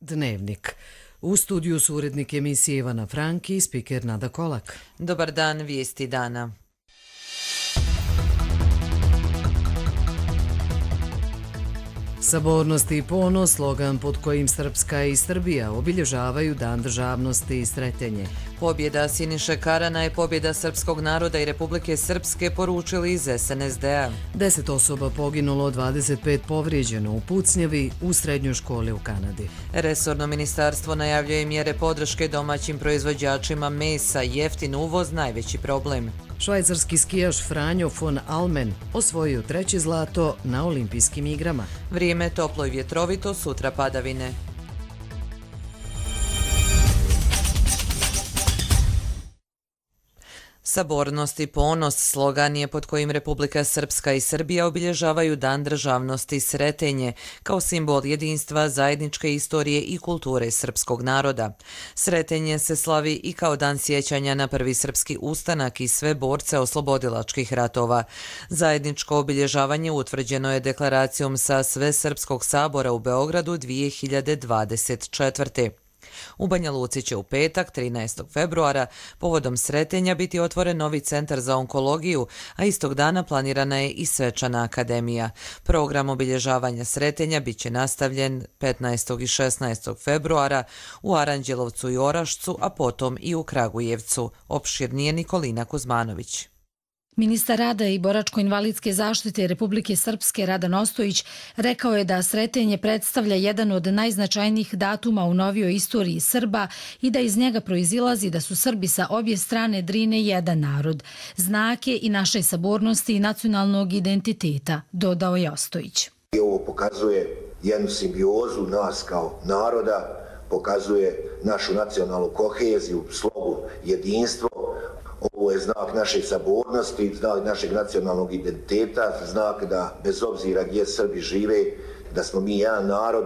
Dnevnik. U studiju su urednik emisije Ivana Franki i spiker Nada Kolak. Dobar dan, vijesti dana. Sabornost i ponos, slogan pod kojim Srpska i Srbija obilježavaju Dan državnosti i Sretenje. Pobjeda Siniše Karana je pobjeda srpskog naroda i Republike Srpske, poručili iz SNSD-a. 10 osoba poginulo, 25 povrijeđeno u pucnjavi u srednjoj školi u Kanadi. Resorno ministarstvo najavljuje mjere podrške domaćim proizvođačima mesa, jeftin uvoz najveći problem. Švajcarski skijaš Franjo von Almen osvojio 3. zlato na olimpijskim igrama. Vrijeme toplo i vjetrovito, sutra padavine. Sabornost i ponos slogan je pod kojim Republika Srpska i Srbija obilježavaju Dan državnosti i Sretenje kao simbol jedinstva, zajedničke istorije i kulture srpskog naroda. Sretenje se slavi i kao dan sjećanja na prvi srpski ustanak i sve borce oslobodilačkih ratova. Zajedničko obilježavanje utvrđeno je deklaracijom sa Svesrpskog sabora u Beogradu 2024. U Banja Luci će u petak, 13. februara, povodom Sretenja biti otvoren novi centar za onkologiju, a istog dana planirana je i svečana akademija. Program obilježavanja Sretenja bit će nastavljen 15. i 16. februara u Aranđelovcu i Orašcu, a potom i u Kragujevcu. Opširnije Nikolina Kuzmanović. Ministar rada i boračko-invalidske zaštite Republike Srpske Radan Ostojić rekao je da Sretenje predstavlja jedan od najznačajnijih datuma u novijoj istoriji Srba i da iz njega proizilazi da su Srbi sa obje strane Drine jedan narod. Znak je i naše sabornosti i nacionalnog identiteta, dodao je Ostojić. Ovo pokazuje jednu simbiozu nas kao naroda, pokazuje našu nacionalnu koheziju, slogu, jedinstvo. Ovo je znak naše sabornosti, znak našeg nacionalnog identiteta, znak da bez obzira gdje Srbi žive, da smo mi jedan narod,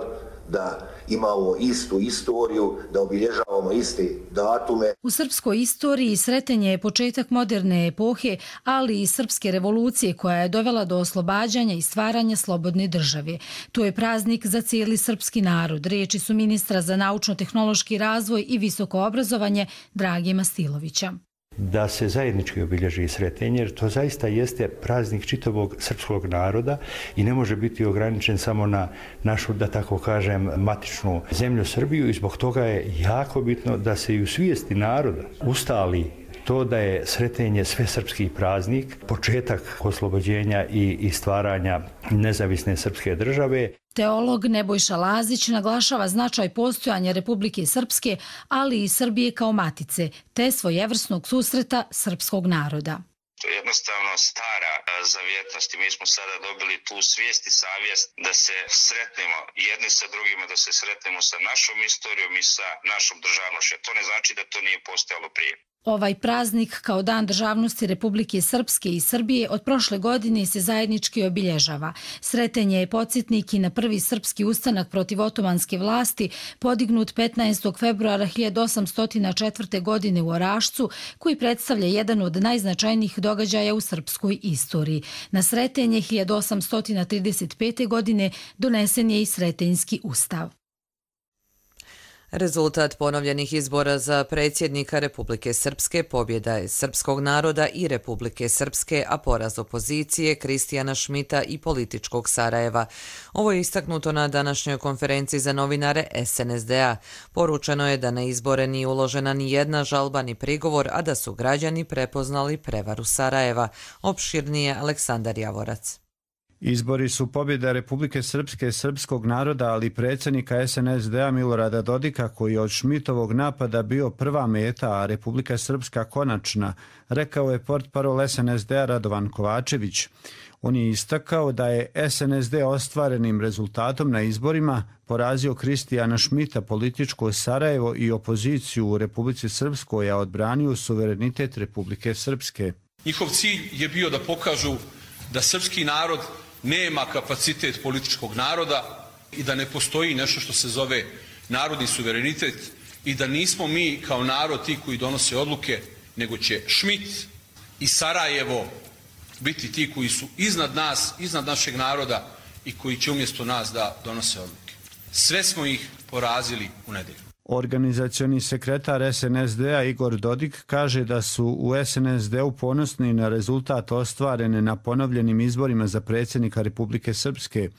da imamo istu istoriju, da obilježavamo iste datume. U srpskoj istoriji Sretenje je početak moderne epohe, ali i srpske revolucije koja je dovela do oslobađanja i stvaranja slobodne države. To je praznik za cijeli srpski narod. Riječi su ministra za naučno-tehnološki razvoj i visoko obrazovanje Drage Mastilovića. Da se zajednički obilježi Sretenje, jer to zaista jeste praznik čitavog srpskog naroda i ne može biti ograničen samo na našu, da tako kažem, matičnu zemlju Srbiju i zbog toga je jako bitno da se i u svijesti naroda ustali to da je Sretenje svesrpski praznik, početak oslobođenja i stvaranja nezavisne srpske države. Teolog Nebojša Lazić naglašava značaj postojanja Republike Srpske, ali i Srbije kao matice, te svojevrsnog susreta srpskog naroda. To je jednostavno stara zavjetnost i mi smo sada dobili tu svijest i savjest da se sretnemo jedni sa drugima, da se sretnemo sa našom istorijom i sa našom državnošću. To ne znači da to nije postojalo prije. Ovaj praznik kao Dan državnosti Republike Srpske i Srbije od prošle godine se zajednički obilježava. Sretenje je podsjetnik i na prvi srpski ustanak protiv otomanske vlasti podignut 15. februara 1804. godine u Orašcu, koji predstavlja jedan od najznačajnijih događaja u srpskoj istoriji. Na Sretenje 1835. godine donesen je i Sretenjski ustav. Rezultat ponovljenih izbora za predsjednika Republike Srpske pobjeda je srpskog naroda i Republike Srpske, a poraz opozicije Kristijana Šmita i političkog Sarajeva. Ovo je istaknuto na današnjoj konferenciji za novinare SNSD-a. Poručeno je da na izbore nije uložena ni jedna žalba ni prigovor, a da su građani prepoznali prevaru Sarajeva. Opširnije Aleksandar Javorac. Izbori su pobjeda Republike Srpske, srpskog naroda, ali i predsjednika SNSD-a Milorada Dodika, koji je od Šmitovog napada bio prva meta, a Republika Srpska konačna, rekao je portparol SNSD-a Radovan Kovačević. On je istakao da je SNSD ostvarenim rezultatom na izborima porazio Kristijana Šmita, političko Sarajevo i opoziciju u Republici Srpskoj, a odbranio suverenitet Republike Srpske. Njihov cilj je bio da pokažu da srpski narod nema kapacitet političkog naroda i da ne postoji nešto što se zove narodni suverenitet i da nismo mi kao narod ti koji donose odluke, nego će Šmit i Sarajevo biti ti koji su iznad nas, iznad našeg naroda i koji će umjesto nas da donose odluke. sve smo ih porazili u nedelju. Organizacioni sekretar SNSD-a Igor Dodik kaže da su u SNSD-u ponosni na rezultat ostvarene na ponovljenim izborima za predsjednika Republike Srpske.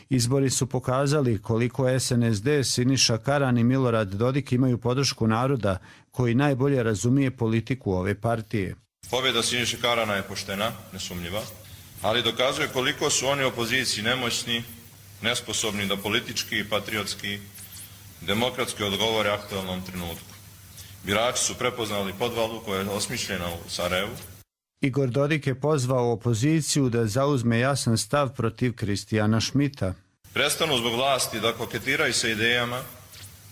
Izbori su pokazali koliko SNSD, Siniša Karan i Milorad Dodik imaju podršku naroda koji najbolje razumije politiku ove partije. Pobjeda Siniše Karana je poštena, nesumnjiva, ali dokazuje koliko su oni opoziciji nemoćni, nesposobni da politički i patriotski demokratski odgovore aktualnom trenutku. Birači su prepoznali podvalu koja je osmišljena u Sarajevu. Igor Dodik je pozvao opoziciju da zauzme jasan stav protiv Kristijana Šmita. Prestanu zbog vlasti da koketiraju sa idejama,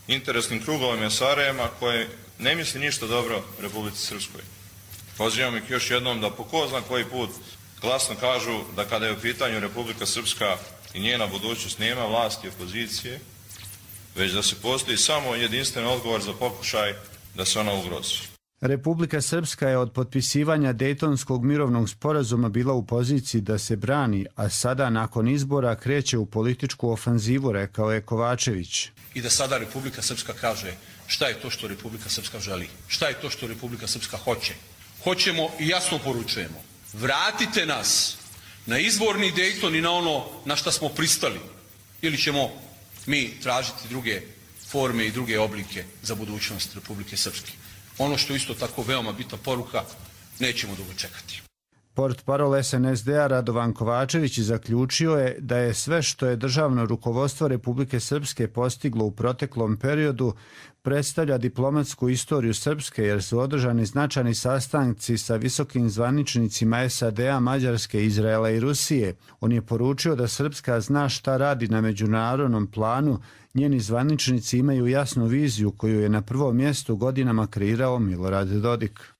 interesnim krugovima Sarajeva koje ne misli ništa dobro Republici Srpskoj. Pozivam ih još jednom da po ko zna koji put glasno kažu da kada je u pitanju Republika Srpska i njena budućnost nema vlasti i opozicije, već da se postoji samo jedinstven odgovor za pokušaj da se ona ugrozi. Republika Srpska je od potpisivanja Dejtonskog mirovnog sporazuma bila u poziciji da se brani, a sada nakon izbora kreće u političku ofanzivu, rekao je Kovačević. I da sada Republika Srpska kaže šta je to što Republika Srpska želi, šta je to što Republika Srpska hoće. Hoćemo i jasno poručujemo, vratite nas na izvorni Dejton i na ono na šta smo pristali, ili ćemo mi tražiti druge forme i druge oblike za budućnost Republike Srpske. Ono što isto tako veoma bitna poruka, nećemo dugo čekati. Portparol SNSD-a Radovan Kovačević zaključio je da je sve što je državno rukovodstvo Republike Srpske postiglo u proteklom periodu predstavlja diplomatsku istoriju Srpske jer su održani značajni sastanci sa visokim zvaničnicima SAD-a, Mađarske, Izraela i Rusije. On je poručio da Srpska zna šta radi na međunarodnom planu. Njeni zvaničnici imaju jasnu viziju koju je na prvom mjestu godinama kreirao Milorad Dodik.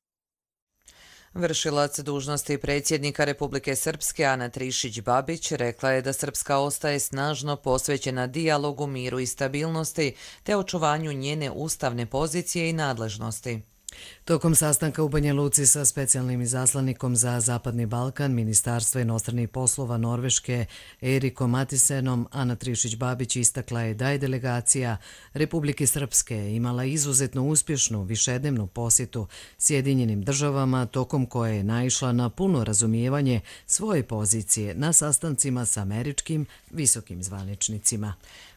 Vršilac dužnosti predsjednika Republike Srpske Ana Trišić-Babić rekla je da Srpska ostaje snažno posvećena dijalogu, miru i stabilnosti te očuvanju njene ustavne pozicije i nadležnosti. Tokom sastanka u Banja Luci sa specijalnim izaslanikom za Zapadni Balkan Ministarstva inostranih poslova Norveške Erikom Matisenom, Ana Trišić-Babić istakla je da je delegacija Republike Srpske imala izuzetno uspješnu višednevnu posjetu Sjedinjenim državama tokom koje je naišla na puno razumijevanje svoje pozicije na sastancima sa američkim visokim zvaničnicima.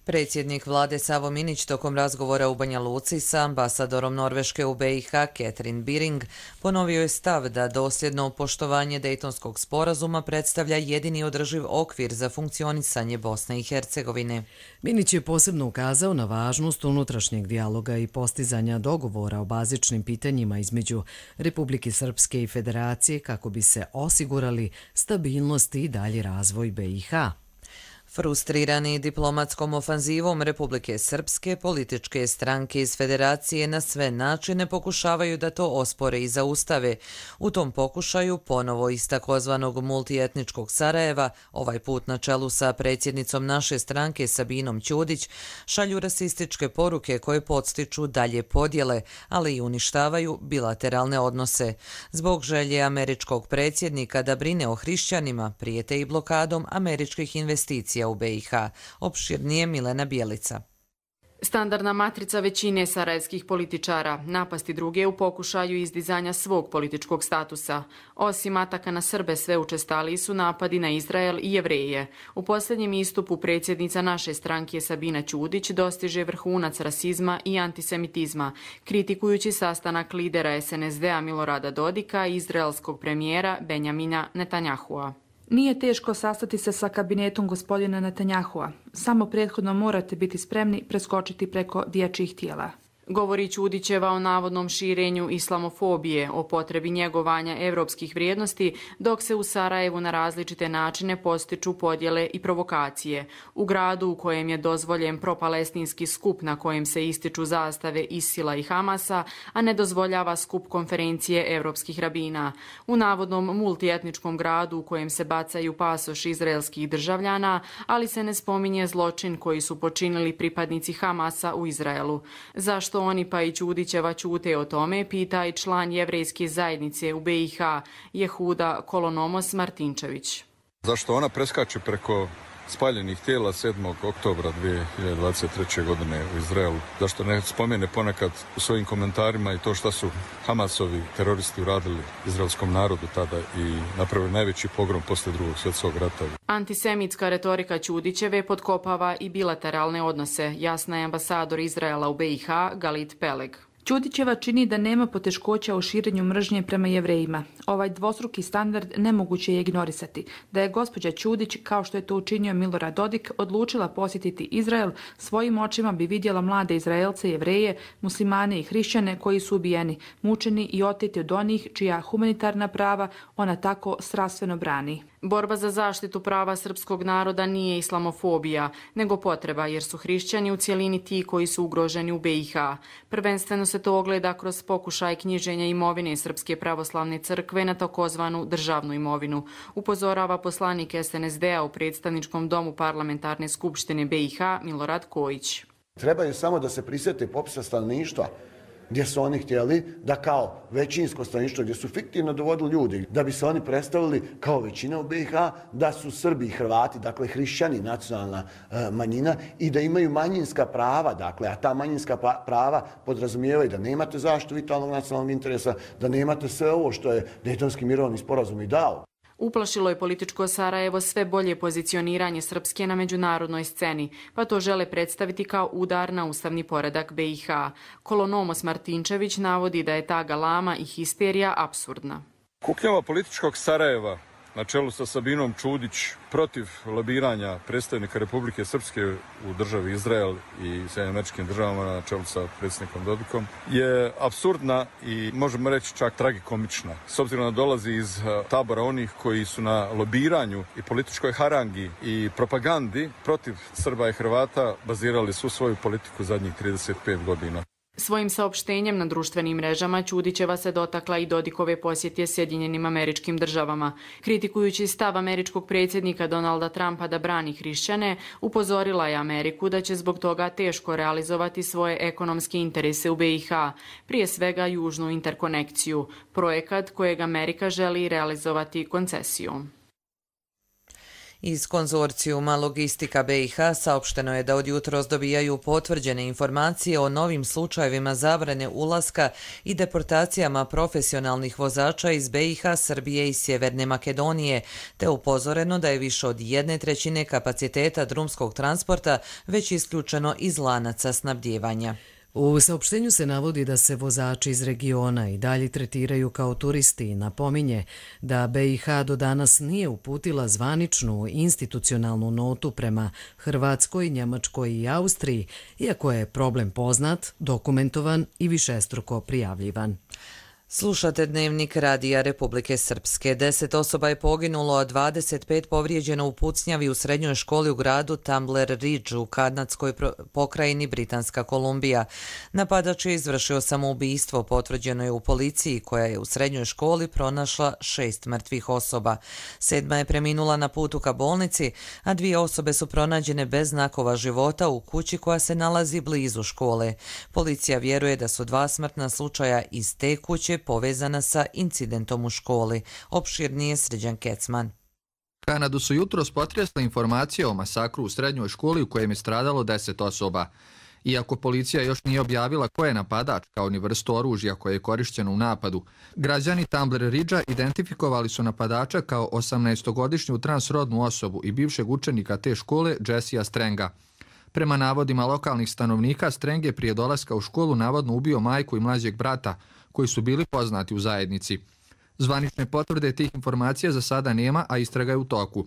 Predsjednik vlade Savo Minić tokom razgovora u Banja Luci sa ambasadorom Norveške u BiH Catherine Biring ponovio je stav da dosljedno poštovanje Dejtonskog sporazuma predstavlja jedini održiv okvir za funkcionisanje Bosne i Hercegovine. Minić je posebno ukazao na važnost unutrašnjeg dijaloga i postizanja dogovora o bazičnim pitanjima između Republike Srpske i Federacije kako bi se osigurali stabilnost i dalji razvoj BiH. Frustrirani diplomatskom ofanzivom Republike Srpske, političke stranke iz Federacije na sve načine pokušavaju da to ospore i zaustave. U tom pokušaju ponovo iz takozvanog multietničkog Sarajeva, ovaj put na čelu sa predsjednicom naše stranke Sabinom Ćudić, šalju rasističke poruke koje podstiču dalje podjele, ali i uništavaju bilateralne odnose. Zbog želje američkog predsjednika da brine o hrišćanima, prijete i blokadom američkih investicija u BiH. Opširnije Milena Bjelica. Standardna matrica većine sarajevskih političara, napasti druge u pokušaju izdizanja svog političkog statusa. Osim ataka na Srbe, sve učestaliji su napadi na Izrael i Jevreje. U posljednjem istupu predsjednica naše stranke Sabina Ćudić dostiže vrhunac rasizma i antisemitizma, kritikujući sastanak lidera SNSD-a Milorada Dodika i izraelskog premijera Benjamina Netanjahua. Nije teško sastati se sa kabinetom gospodina Netanjahua. Samo prethodno morate biti spremni preskočiti preko dječjih tijela. Govori Ćudićeva o navodnom širenju islamofobije, o potrebi njegovanja evropskih vrijednosti, dok se u Sarajevu na različite načine postiču podjele i provokacije. U gradu u kojem je dozvoljen propalestinski skup na kojem se ističu zastave Isila i Hamasa, a ne dozvoljava skup konferencije evropskih rabina. U navodnom multietničkom gradu u kojem se bacaju pasoši izraelskih državljana, ali se ne spominje zločin koji su počinili pripadnici Hamasa u Izraelu. Zašto oni pa i Ćudićeva ćute o tome, pita i član jevrejske zajednice u BiH Jehuda Kolonomos Martinčević. Zašto ona preskače preko spaljenih tijela 7. oktobra 2023. godine u Izraelu. Zašto ne spomene ponekad u svojim komentarima i to što su Hamasovi teroristi uradili izraelskom narodu tada i napravili najveći pogrom posle Drugog svjetskog rata. Antisemitska retorika Ćudićeve potkopava i bilateralne odnose, jasna je ambasador Izraela u BiH Galit Peleg. Ćudićeva čini da nema poteškoća u širenju mržnje prema Jevrejima. Ovaj dvostruki standard nemoguće je ignorisati. Da je gospođa Ćudić, kao što je to učinio Milorad Dodik, odlučila posjetiti Izrael, svojim očima bi vidjela mlade Izraelce, Jevreje, muslimane i hrišćane koji su ubijeni, mučeni i oteti od onih čija humanitarna prava ona tako strastveno brani. Borba za zaštitu prava srpskog naroda nije islamofobija, nego potreba, jer su hrišćani u cijelini ti koji su ugroženi u BiH. Prvenstveno se to ogleda kroz pokušaj knjiženja imovine Srpske pravoslavne crkve na takozvanu državnu imovinu, upozorava poslanik SNSD-a u predstavničkom domu Parlamentarne skupštine BiH Milorad Kojić. Trebaju samo da se prisjete popisa stanovništva, gdje su oni htjeli da kao većinsko stanovništvo, gdje su fiktivno dovodili ljudi, da bi se oni predstavili kao većina u BiH, da su Srbi i Hrvati, dakle hrišćani, nacionalna manjina, i da imaju manjinska prava, dakle, a ta manjinska prava podrazumijevaju da nemate zaštitu vitalnog nacionalnog interesa, da nemate sve ovo što je Dejtonski mirovni sporazum i dao. Uplašilo je političko Sarajevo sve bolje pozicioniranje Srpske na međunarodnoj sceni, pa to žele predstaviti kao udar na ustavni poredak BiH. Kolonomos Martinčević navodi da je ta galama i histerija apsurdna. Kuknjava političkog Sarajeva na čelu sa Sabinom Čudić protiv lobiranja predstavnika Republike Srpske u državi Izrael i Sjedinjenim Državama na čelu sa predsjednikom Dodikom je apsurdna i možemo reći čak tragikomična. S obzirom da dolazi iz tabora onih koji su na lobiranju i političkoj harangi i propagandi protiv Srba i Hrvata bazirali svu svoju politiku zadnjih 35 godina. Svojim saopštenjem na društvenim mrežama Ćudićeva se dotakla i Dodikove posjete Sjedinjenim Američkim Državama. Kritikujući stav američkog predsjednika Donalda Trumpa da brani hrišćane, upozorila je Ameriku da će zbog toga teško realizovati svoje ekonomske interese u BiH, prije svega južnu interkonekciju, projekat kojeg Amerika želi realizovati koncesijom. Iz konzorcijuma Logistika BiH saopšteno je da od jutros dobijaju potvrđene informacije o novim slučajevima zabrane ulaska i deportacijama profesionalnih vozača iz BiH, Srbije i Sjeverne Makedonije, te upozoreno da je više od 1/3 kapaciteta drumskog transporta već isključeno iz lanaca snabdijevanja. U saopštenju se navodi da se vozači iz regiona i dalje tretiraju kao turisti i napominje da BiH do danas nije uputila zvaničnu institucionalnu notu prema Hrvatskoj, Njemačkoj i Austriji, iako je problem poznat, dokumentovan i višestruko prijavljivan. Slušate Dnevnik Radija Republike Srpske. 10 osoba je poginulo, a 25 povrijeđeno u pucnjavi u srednjoj školi u gradu Tumbler Ridge u kanadskoj pokrajini Britanska Kolumbija. Napadač je izvršio samoubistvo, potvrđeno je u policiji, koja je u srednjoj školi pronašla 6 mrtvih osoba. 7 je preminula na putu ka bolnici, a 2 osobe su pronađene bez znakova života u kući koja se nalazi blizu škole. Policija vjeruje da su 2 smrtna slučaja iz te kuće povezana sa incidentom u školi. Opširnije Srđan Kecman. Kanadu su jutros potresle informacije o masakru u srednjoj školi u kojem je stradalo 10 osoba. Iako policija još nije objavila ko je napadač kao ni vrstu oružja koje je korišćeno u napadu, građani Tumbler Ridgea identifikovali su napadača kao 18-godišnju transrodnu osobu i bivšeg učenika te škole Jessea Strenga. Prema navodima lokalnih stanovnika, Streng je prije dolaska u školu navodno ubio majku i mlađeg brata, koji su bili poznati u zajednici. Zvanične potvrde tih informacija za sada nema, a istraga je u toku.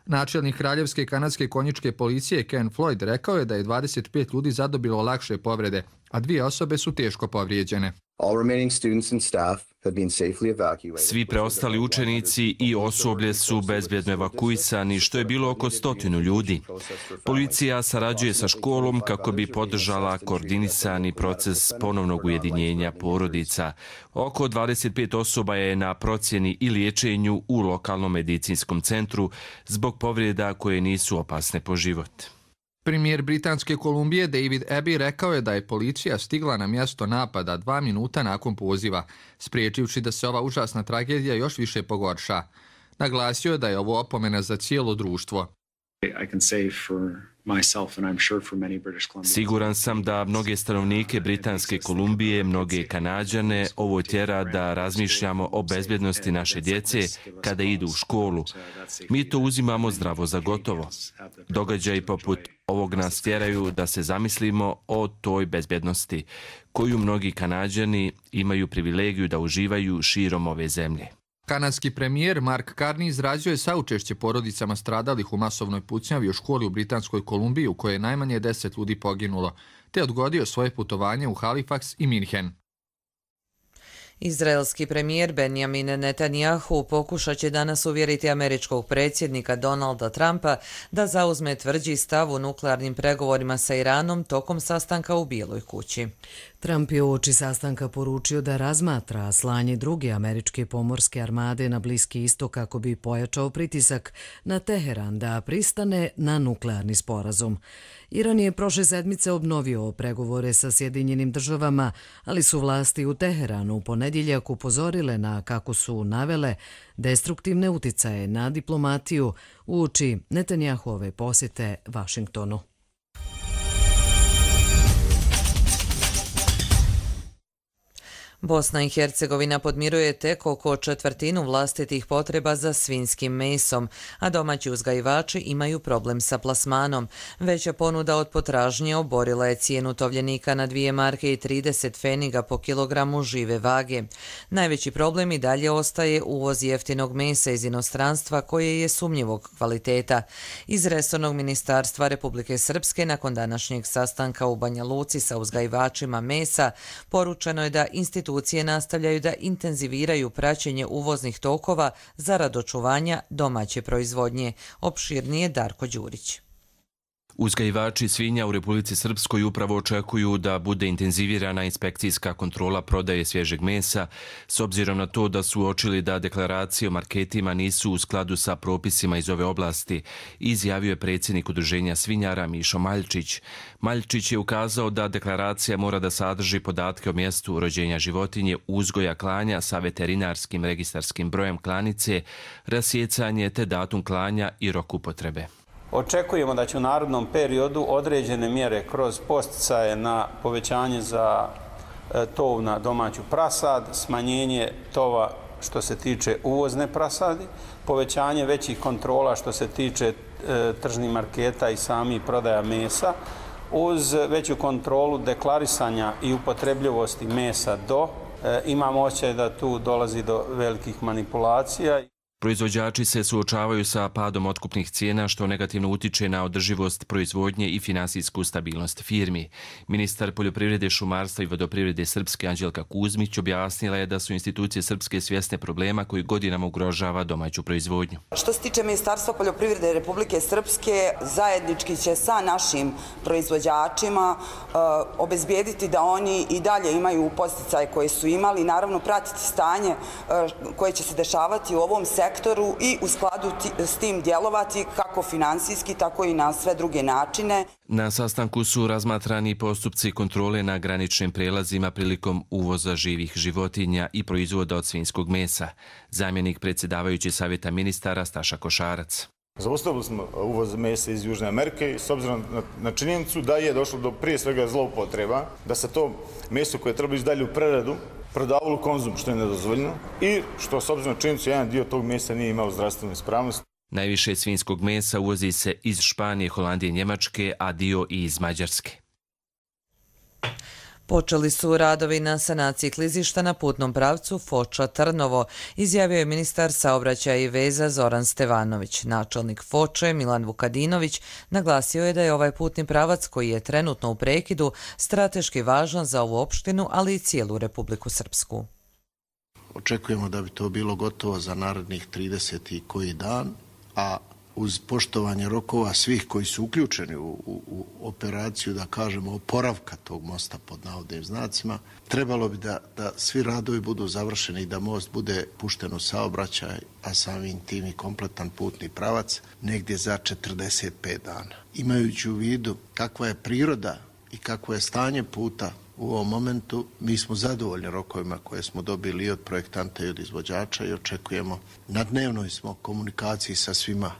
Načelnik Kraljevske kanadske konjičke policije Ken Floyd rekao je da je 25 ljudi zadobilo lakše povrede, a 2 osobe su teško povrijeđene. Svi preostali učenici i osoblje su bezbjedno evakuisani, što je bilo oko 100 ljudi. Policija sarađuje sa školom kako bi podržala koordinisani proces ponovnog ujedinjenja porodica. Oko 25 osoba je na procjeni i liječenju u lokalnom medicinskom centru zbog povreda koje nisu opasne po život. Premijer Britanske Kolumbije David Abbey rekao je da je policija stigla na mjesto napada 2 minuta nakon poziva, spriječivši da se ova užasna tragedija još više pogorša. Naglasio je da je ovo opomena za cijelo društvo. Siguran sam da mnoge stanovnike Britanske Kolumbije, mnoge Kanađane, ovo tjera da razmišljamo o bezbjednosti naše djece kada idu u školu. Mi to uzimamo zdravo za gotovo. Događaji poput ovog nas tjeraju da se zamislimo o toj bezbjednosti, koju mnogi Kanađani imaju privilegiju da uživaju širom ove zemlje. Kanadski premijer Mark Carney izrazio saučešće porodicama stradalih u masovnoj pucnjavi u školi u Britanskoj Kolumbiji u kojoj je najmanje 10 ljudi poginulo, te odgodio svoje putovanje u Halifax i Minhen. Izraelski premijer Benjamin Netanjahu pokušat će danas uvjeriti američkog predsjednika Donalda Trumpa da zauzme tvrđi stav u nuklearnim pregovorima sa Iranom tokom sastanka u Bijeloj kući. Trump je uoči sastanka poručio da razmatra slanje druge američke pomorske armade na Bliski istok kako bi pojačao pritisak na Teheran da pristane na nuklearni sporazum. Iran je prošle sedmice obnovio pregovore sa Sjedinjenim državama, ali su vlasti u Teheranu u ponedjeljak upozorile na, kako su navele, destruktivne uticaje na diplomatiju uoči Netanjahove posjete Vašingtonu. Bosna i Hercegovina podmiruje tek oko četvrtinu vlastitih potreba za svinjskim mesom, a domaći uzgajivači imaju problem sa plasmanom. Veća ponuda od potražnje oborila je cijenu tovljenika na 2 marke i 30 pfeniga po kilogramu žive vage. Najveći problem i dalje ostaje uvoz jeftinog mesa iz inostranstva koje je sumnjivog kvaliteta. Iz resornog ministarstva Republike Srpske nakon današnjeg sastanka u Banja Luci sa uzgajivačima mesa poručeno je da institucije nastavljaju da intenziviraju praćenje uvoznih tokova zarad očuvanja domaće proizvodnje. Opširnije Darko Đurić. Uzgajivači svinja u Republici Srpskoj upravo očekuju da bude intenzivirana inspekcijska kontrola prodaje svježeg mesa, s obzirom na to da su uočili da deklaracije o marketima nisu u skladu sa propisima iz ove oblasti, izjavio je predsjednik Udruženja svinjara Mišo Maljčić. Maljčić je ukazao da deklaracija mora da sadrži podatke o mjestu rođenja životinje, uzgoja klanja sa veterinarskim registarskim brojem klanice, rasjecanje te datum klanja i rok upotrebe. Očekujemo da će u narednom periodu određene mjere kroz podsticaje na povećanje za tov na domaću prasad, smanjenje tova što se tiče uvozne prasadi, povećanje većih kontrola što se tiče tržnih marketa i samih prodaja mesa, uz veću kontrolu deklarisanja i upotrebljivosti mesa imamo osjećaj da tu dolazi do velikih manipulacija. Proizvođači se suočavaju sa padom otkupnih cijena što negativno utiče na održivost proizvodnje i finansijsku stabilnost firmi. Ministar poljoprivrede, šumarstva i vodoprivrede Srpske Anđelka Kuzmić objasnila je da su institucije Srpske svjesne problema koji godinama ugrožava domaću proizvodnju. Što se tiče Ministarstva poljoprivrede Republike Srpske, zajednički će sa našim proizvođačima obezbijediti da oni i dalje imaju podsticaje koje su imali, naravno pratiti stanje koje će se dešavati u ovom sektoru i u skladu s tim djelovati kako finansijski, tako i na sve druge načine. Na sastanku su razmatrani postupci kontrole na graničnim prelazima prilikom uvoza živih životinja i proizvoda od svinjskog mesa. Zamjenik predsjedavajući savjeta ministara Staša Košarac. Zaustavili smo uvoz mesa iz Južne Amerike s obzirom na činjenicu da je došlo do prije svega zloupotreba, da se to meso koje treba ići dalje u preradu prodavalo u konzum, što je nedozvoljeno, i što s obzirom na činjenicu jedan dio tog mesa nije imao zdravstvenu ispravnost. Najviše svinjskog mesa uvozi se iz Španije, Holandije i Njemačke, a dio i iz Mađarske. Počeli su radovi na sanaciji klizišta na putnom pravcu Foča-Trnovo, izjavio je ministar saobraćaja i veza Zoran Stevanović. Načelnik Foče, Milan Vukadinović, naglasio je da je ovaj putni pravac, koji je trenutno u prekidu, strateški važan za ovu opštinu, ali i cijelu Republiku Srpsku. Očekujemo da bi to bilo gotovo za narednih 30 i koji dan, a uz poštovanje rokova svih koji su uključeni u operaciju, da kažemo, oporavka tog mosta pod navodnim znacima, trebalo bi da svi radovi budu završeni i da most bude pušten u saobraćaj, a samim tim i kompletan putni pravac, negdje za 45 dana. Imajući u vidu kakva je priroda i kakvo je stanje puta u ovom momentu, mi smo zadovoljni rokovima koje smo dobili i od projektanta i od izvođača i očekujemo, na dnevnoj smo komunikaciji sa svima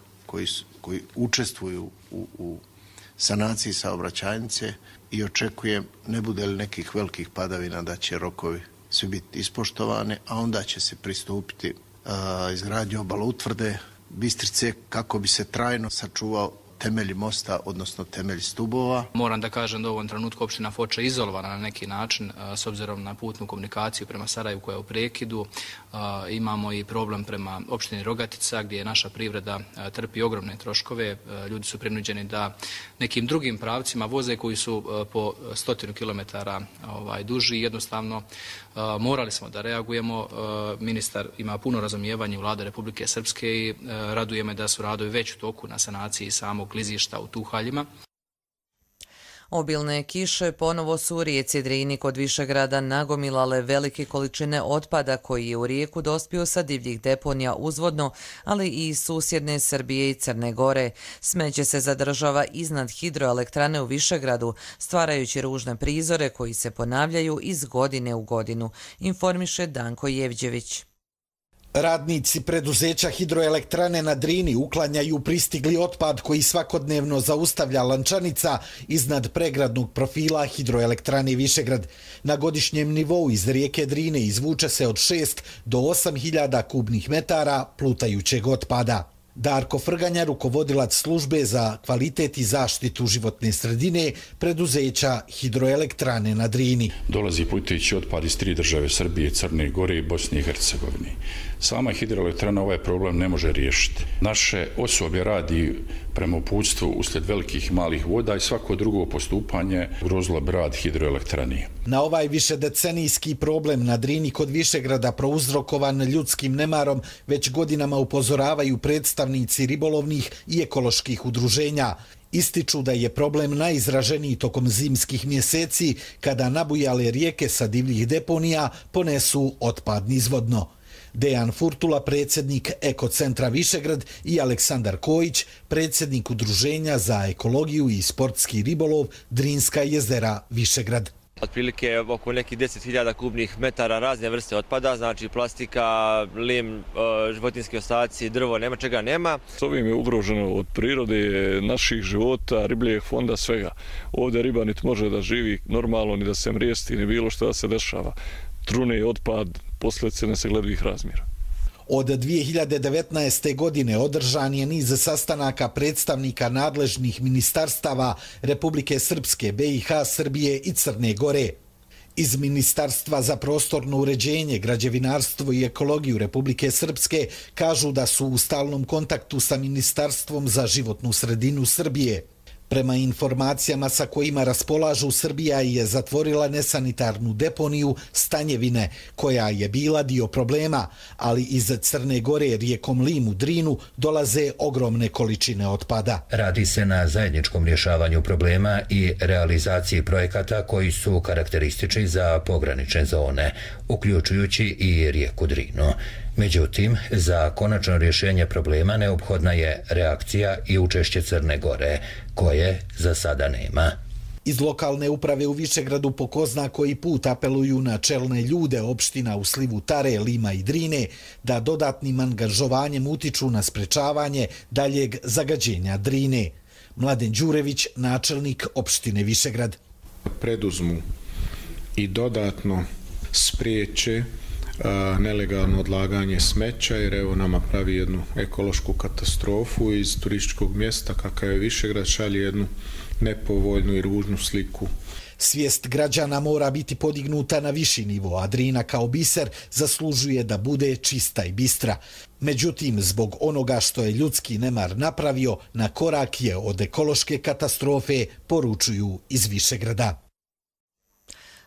koji učestvuju u sanaciji saobraćajnice i očekujem, ne bude li nekih velikih padavina, da će rokovi svi biti ispoštovani, a onda će se pristupiti izgradnji obaloutvrde Bistrice kako bi se trajno sačuvao temelji mosta, odnosno temelji stubova. Moram da kažem da u ovom trenutku opština Foča je izolovana na neki način s obzirom na putnu komunikaciju prema Sarajevu koja je u prekidu. Imamo i problem prema opštini Rogatica gdje naša privreda trpi ogromne troškove. Ljudi su prinuđeni da nekim drugim pravcima voze koji su po 100 km duži. Jednostavno morali smo da reagujemo. Ministar ima puno razumijevanja u Vlade Republike Srpske i raduje me da su radovi već u toku na sanaciji samog klizišta u Tuhaljima. Obilne kiše ponovo su u rijeci Drini kod Višegrada nagomilale velike količine otpada koji je u rijeku dospio sa divljih deponija uzvodno, ali i iz susjedne Srbije i Crne Gore. Smeće se zadržava iznad hidroelektrane u Višegradu, stvarajući ružne prizore koji se ponavljaju iz godine u godinu, informiše Danko Jevđević. Radnici preduzeća hidroelektrane na Drini uklanjaju pristigli otpad koji svakodnevno zaustavlja lančanica iznad pregradnog profila hidroelektrane Višegrad. Na godišnjem nivou iz rijeke Drine izvuče se od 6 do 8 hiljada kubnih metara plutajućeg otpada. Darko Frganja, rukovodilac službe za kvalitet i zaštitu životne sredine preduzeća hidroelektrane na Drini. Dolazi plutajući otpad iz 3 države, Srbije, Crne Gore i Bosne i Hercegovine. Sama hidroelektrana ovaj problem ne može riješiti. Naše osoblje radi prema uputstvu uslijed velikih i malih voda i svako drugo postupanje ugrozilo bi rad hidroelektrane. Na ovaj višedecenijski problem na Drini kod Višegrada prouzrokovan ljudskim nemarom već godinama upozoravaju predstavnici ribolovnih i ekoloških udruženja. Ističu da je problem najizraženiji tokom zimskih mjeseci kada nabujale rijeke sa divljih deponija ponesu otpad nizvodno. Dejan Furtula, predsjednik Ekocentra Višegrad, i Aleksandar Kojić, predsjednik Udruženja za ekologiju i sportski ribolov Drinska jezera Višegrad. Otprilike oko nekih 10.000 kubnih metara razne vrste otpada, znači plastika, lim, životinski ostaci, drvo, nema čega nema. S ovim je ugroženo od prirode, naših života, ribljeg fonda, svega. Ovdje riba niti može da živi normalno, ni da se mrijesti, ni bilo što da se dešava. Trune otpad, posljedice nesagledivih razmjera. Od 2019. godine održan je niz sastanaka predstavnika nadležnih ministarstava Republike Srpske, BiH, Srbije i Crne Gore. Iz Ministarstva za prostorno uređenje, građevinarstvo i ekologiju Republike Srpske kažu da su u stalnom kontaktu sa Ministarstvom za životnu sredinu Srbije. Prema informacijama sa kojima raspolažu, Srbija je zatvorila nesanitarnu deponiju Stanjevine, koja je bila dio problema, ali iz Crne Gore rijekom Lim u Drinu dolaze ogromne količine otpada. Radi se na zajedničkom rješavanju problema i realizaciji projekata koji su karakteristični za pogranične zone, uključujući i rijeku Drinu. Međutim, za konačno rješenje problema neophodna je reakcija i učešće Crne Gore, koje za sada nema. Iz lokalne uprave u Višegradu po ko zna koji put apeluju na čelne ljude opština u slivu Tare, Lima i Drine da dodatnim angažovanjem utiču na sprečavanje daljeg zagađenja Drine. Mladen Đurević, načelnik opštine Višegrad. Preduzmu i dodatno spriječe nelegalno odlaganje smeća, jer evo nama pravi jednu ekološku katastrofu. Iz turističkog mjesta kakav je Višegrad šalje jednu nepovoljnu i ružnu sliku. Svijest građana mora biti podignuta na viši nivo, a Drina kao biser zaslužuje da bude čista i bistra. Međutim, zbog onoga što je ljudski nemar napravio, na korak je od ekološke katastrofe, poručuju iz Višegrada.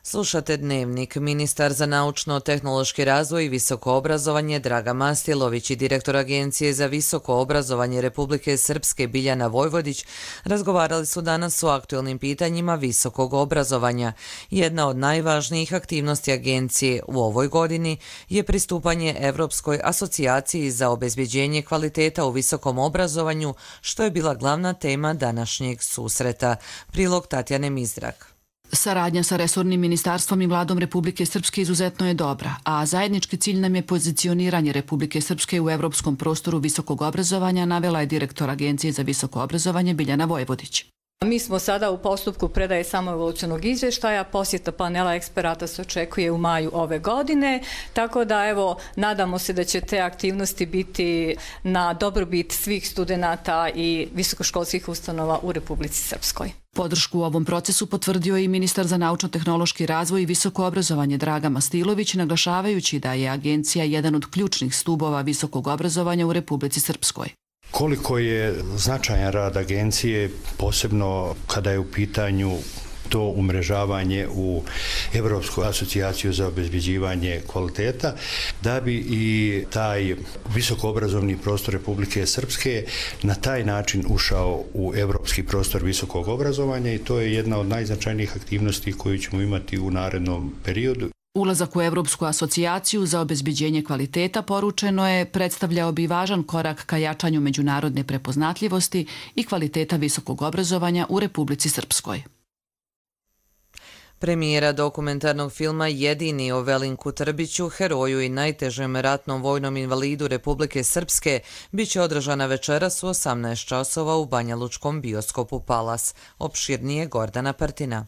Slušate Dnevnik. Ministar za naučno-tehnološki razvoj i visoko obrazovanje Draga Mastjelović i direktor Agencije za visoko obrazovanje Republike Srpske Biljana Vojvodić razgovarali su danas o aktualnim pitanjima visokog obrazovanja. Jedna od najvažnijih aktivnosti agencije u ovoj godini je pristupanje Evropskoj asocijaciji za obezbjeđenje kvaliteta u visokom obrazovanju, što je bila glavna tema današnjeg susreta. Prilog Tatjane Mizdrak. Saradnja sa resornim ministarstvom i vladom Republike Srpske izuzetno je dobra, a zajednički cilj nam je pozicioniranje Republike Srpske u evropskom prostoru visokog obrazovanja, navela je direktor Agencije za visoko obrazovanje Biljana Vojvodić. Mi smo sada u postupku predaje samoevolucionog izvještaja, posjeta panela eksperata se očekuje u maju ove godine, tako da evo nadamo se da će te aktivnosti biti na dobrobit svih studenata i visokoškolskih ustanova u Republici Srpskoj. Podršku u ovom procesu potvrdio i ministar za naučno-tehnološki razvoj i visoko obrazovanje Draga Mastilović, naglašavajući da je agencija jedan od ključnih stubova visokog obrazovanja u Republici Srpskoj. Koliko je značajan rad agencije, posebno kada je u pitanju to umrežavanje u Evropsku asocijaciju za obezbeđivanje kvaliteta, da bi i taj visokoobrazovni prostor Republike Srpske na taj način ušao u evropski prostor visokog obrazovanja i to je jedna od najznačajnijih aktivnosti koju ćemo imati u narednom periodu. Ulazak u Evropsku asocijaciju za obezbeđenje kvaliteta, poručeno je, predstavljao bi važan korak ka jačanju međunarodne prepoznatljivosti i kvaliteta visokog obrazovanja u Republici Srpskoj. Premijera dokumentarnog filma Jedini o Velinku Trbiću, heroju i najtežem ratnom vojnom invalidu Republike Srpske, biće održana večeras u 18 časova u Banjalučkom bioskopu Palas. Opširnije Gordana Partina.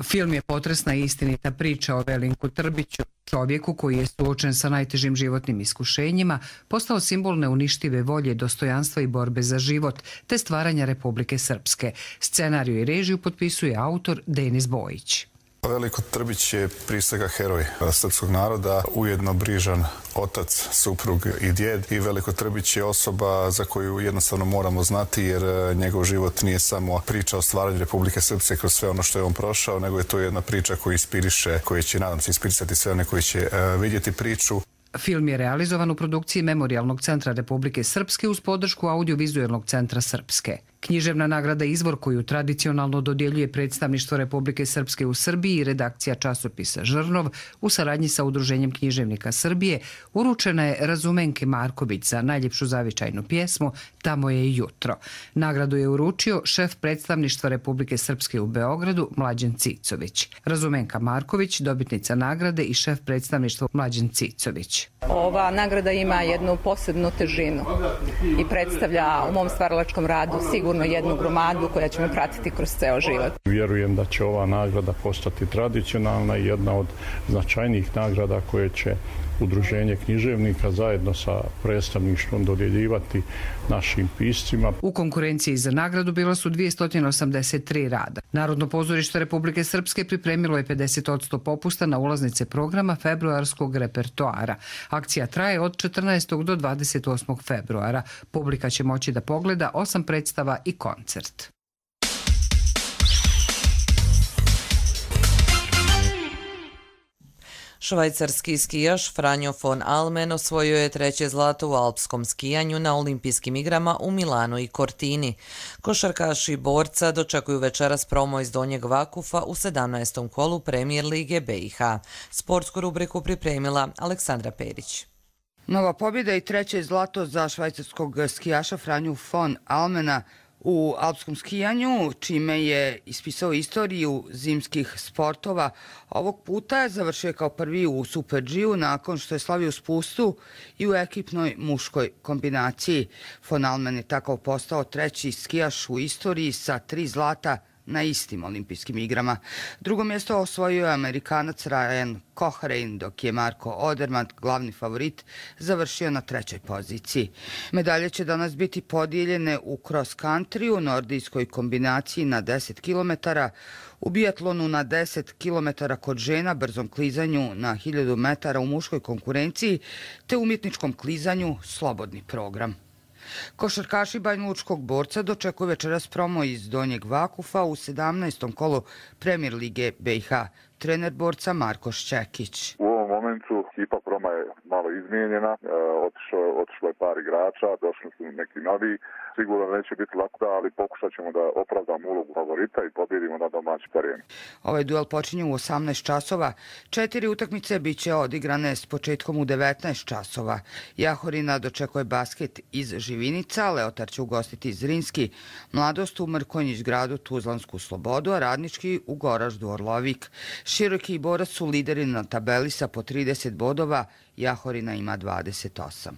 Film je potresna i istinita priča o Velinku Trbiću, čovjeku koji je suočen sa najtežim životnim iskušenjima, postao simbol neuništive volje, dostojanstva i borbe za život, te stvaranja Republike Srpske. Scenariju i režiju potpisuje autor Denis Bojić. Veliko Trbić je prije svega heroj srpskog naroda, ujedno brižan otac, suprug i djed. I Veliko Trbić je osoba za koju jednostavno moramo znati jer njegov život nije samo priča o stvaranju Republike Srpske kroz sve ono što je on prošao, nego je to jedna priča koja inspiriše, koja će, nadam se, inspirisati sve one koji će vidjeti priču. Film je realizovan u produkciji Memorijalnog centra Republike Srpske uz podršku Audiovizualnog centra Srpske. Književna nagrada Izvor, koju tradicionalno dodjeljuje Predstavništvo Republike Srpske u Srbiji i redakcija časopisa Žrnov u saradnji sa Udruženjem književnika Srbije, uručena je Razumenki Marković za najljepšu zavičajnu pjesmu Tamo je i jutro. Nagradu je uručio šef Predstavništva Republike Srpske u Beogradu Mlađan Cicović. Razumenka Marković, dobitnica nagrade i šef Predstavništva Mlađan Cicović. Ova nagrada ima jednu posebnu težinu i predstavlja u mom stvaralačkom radu sigurno jednu gromadu koja će me pratiti kroz ceo život. Vjerujem da će ova nagrada postati tradicionalna i jedna od značajnijih nagrada koje će Udruženje književnika zajedno sa predstavništvom dodjeljivati našim piscima. U konkurenciji za nagradu bilo su 283 rada. Narodno pozorište Republike Srpske pripremilo je 50% popusta na ulaznice programa februarskog repertoara. Akcija traje od 14. do 28. februara. Publika će moći da pogleda 8 predstava i koncert. Švajcarski skijaš Franjo von Almen osvojio je 3. zlato u alpskom skijanju na olimpijskim igrama u Milanu i Cortini. Košarkaši borca dočekuju večeras promo iz Donjeg Vakufa u 17. kolu Premier lige BiH. Sportsku rubriku pripremila Aleksandra Perić. Nova pobjeda i 3. zlato za švajcarskog skijaša Franju von Almena u alpskom skijanju, čime je ispisao istoriju zimskih sportova. Ovog puta je završio kao prvi u Super G-u nakon što je slavio spustu i u ekipnoj muškoj kombinaciji. Von Almen je tako postao 3. skijaš u istoriji sa 3 zlata na istim olimpijskim igrama. Drugo mjesto osvojio je Amerikanac Ryan Cochrane, dok je Marko Odermatt, glavni favorit, završio na 3. poziciji. Medalje će danas biti podijeljene u cross country, nordijskoj kombinaciji na 10 km, u biatlonu na 10 km kod žena, brzom klizanju na 1000 metara u muškoj konkurenciji, te umjetničkom klizanju slobodni program. Košarkaši banjalučkog borca dočekuju večeras promo iz Donjeg Vakufa u 17. kolu Premier lige BiH. Trener borca Marko Šćekić. U ovom momentu ekipa Proma je malo izmijenjena, otišlo je par igrača, došli su neki novi. Sigurno neće biti lako, ali pokušat ćemo da opravdamo ulogu favorita i pobjedimo na domaći teren. Ovaj duel počinje u 18 časova. 4 utakmice bit će odigrane s početkom u 19 časova. Jahorina dočekuje basket iz Živinica, Leotar će ugostiti Zrinski, Mladost u Mrkonjić gradu Tuzlansku Slobodu, a Radnički u Goraždu Orlovik. Široki i Borac su lideri na tabeli sa po 30 bodova, Jahorina ima 28.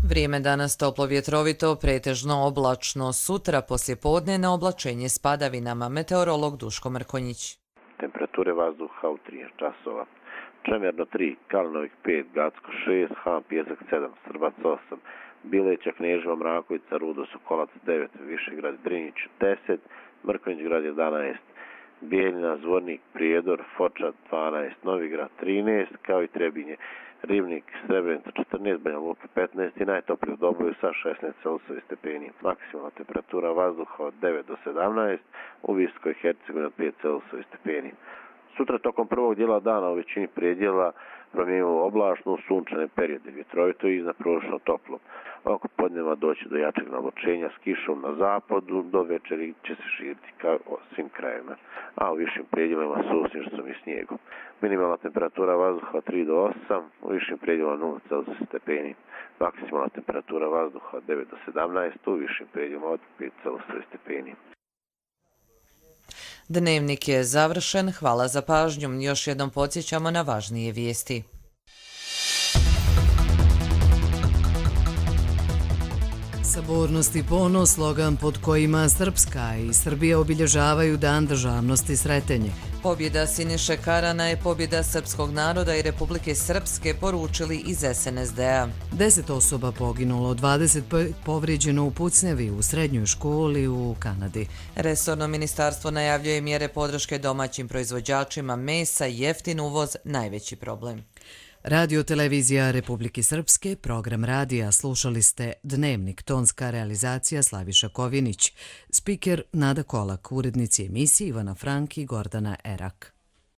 Vrijeme danas toplo vjetrovito, pretežno oblačno. Sutra poslijepodne na oblačenje s padavinama. Meteorolog Duško Mrkonjić. Temperature vazduha u 13 časova. Čemerno 3, Kalnovik 5, Gacko 6, Han Pjesak 7, Srbac 8, Bileća, Kneževa, Mrakovica, Rudo, Sokolac 9, Višegrad, Drinić 10, Mrkonjić grad 11, Bijeljina, Zvornik, Prijedor, Foča 12, Novigrad 13, kao i Trebinje, Ribnik, Srebrenica 14, Banja Luka 15 i najtoplije u Doboju sa 16 Celsijevi stepeni. Maksimalna temperatura vazduha od 9 do 17, u Viskoj Hercegovini od 5 Celsijevi stepeni. Sutra tokom prvog dijela dana u većini predjela promijenimo oblačno, sunčane periode, vjetrovito i iznadprosječno toplo. Oko podneva doći do jačeg navlačenja s kišom na zapadu, do večeri će se širiti kao svim krajevima, a u višim predjelima s susnježicom i snijegom. Minimalna temperatura vazduha od 3 do 8, u višim predjelima 0 Celsijevi stepeni. Maksimalna temperatura vazduha od 9 do 17, u višim predjelima od 5 Celsijevi stepeni. Dnevnik je završen, hvala za pažnju. Još jednom podsjećamo na važnije vijesti. Sabornost i ponos, slogan pod kojima Srpska i Srbija obilježavaju Dan državnosti Sretenje. Pobjeda Siniše Karana je pobjeda srpskog naroda i Republike Srpske, poručili iz SNSD-a. 10 osoba poginulo, 20 povrijeđeno u pucnjavi u srednjoj školi u Kanadi. Resorno ministarstvo najavljuje mjere podrške domaćim proizvođačima mesa, jeftin uvoz, najveći problem. Radio televizija Republike Srpske, program radija, slušali ste Dnevnik, tonska realizacija Slaviša Kovinić, spiker Nada Kolak, urednici emisije Ivana Frank i Gordana Erak.